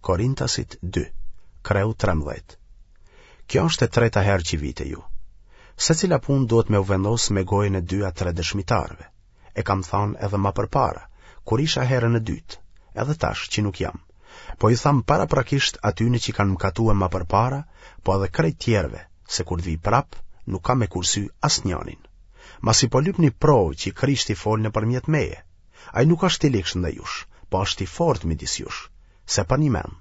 Korintasit 2, kreu 13. Kjo është e treta herë që vij te ju. Secila punë duhet me u vendos me gojën e dy a tre dëshmitarëve. E kam thanë edhe ma përpara, kur isha herën e dytë, edhe tash që nuk jam. Po ju tham paraprakisht atyne që kanë mëkatue ma përpara, po edhe krejt tjerëve, se kur të vij prapë, nuk kam me kursy asnjanin. Masi po lypni provë që Krishti fol nëpërmjet meje, ai nuk është i ligshtë ndaj jush, po është i fortë midis jush, se përnjëmend,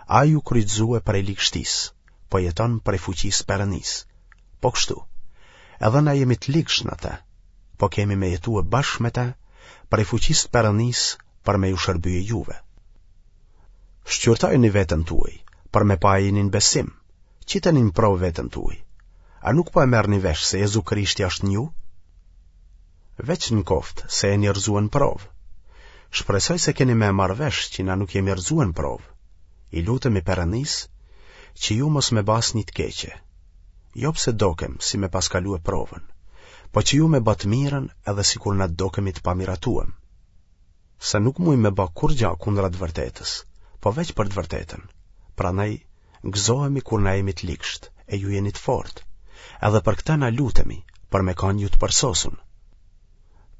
ai u kryqëzue prej ligështisë, po jeton prej fuqisë Perënisë. Po kështu, edhe na jemi të ligshtë në të, po kemi me jetue bashkë me të, prej fuqisë Perënisë për me ju shërbye juve. Shqyrtojeni veten tuaj, për me pa a jeni në besim, qiteni në provë veten tuaj. A nuk po e merrni vesh se Jezu Krishti është në ju? Veç në koftë se jeni rrëzue në provë. Shpresoj se keni me e marrë vesh që na nuk jemi rrëzue në provë. I lutemi Perënisë që ju mos me ba asnjë të keqe. Jo pse dokem si me pas kalue provën, po që ju me ba të mirën edhe sikur na dokemi të pamiratuem. Se nuk mujmë me ba kurgja kundra të vërtetës, po veç për të vërtetën. Prandaj, gëzohemi kur na jemi të ligshtë, e ju jeni të fortë. Edhe për këtë na lutemi, për me kanë ju të përsosun.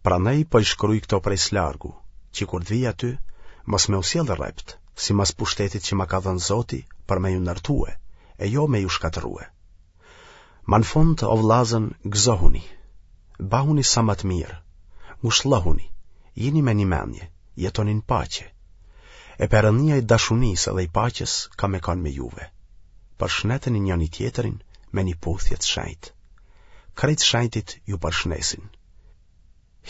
Prandaj po i shkruj këto prej së largu, që kur të vij aty, mos me u sjellë rreptë, simas pushtetit që ma ka dhënë Zoti për me ju ndërtue, e jo me ju shkatërrue. Ma në fund, o vllazën, gëzohuni, bahuni sa ma të mirë, ngushllëhuni, jini me një mendje, jetoni në paqe. E Perënia i dashunisë dhe i paqes ka me kanë me juve. Përshneteni njëni-tjetrin me një puthje të shenjtë. Krejt shenjtit ju përshnesin.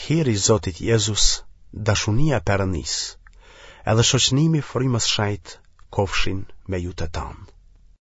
Hiri i Zotit Jezus, dashunia e Perënisë, edhe shoqnimi i Frymës Shenjtë kofshin me ju të tanë.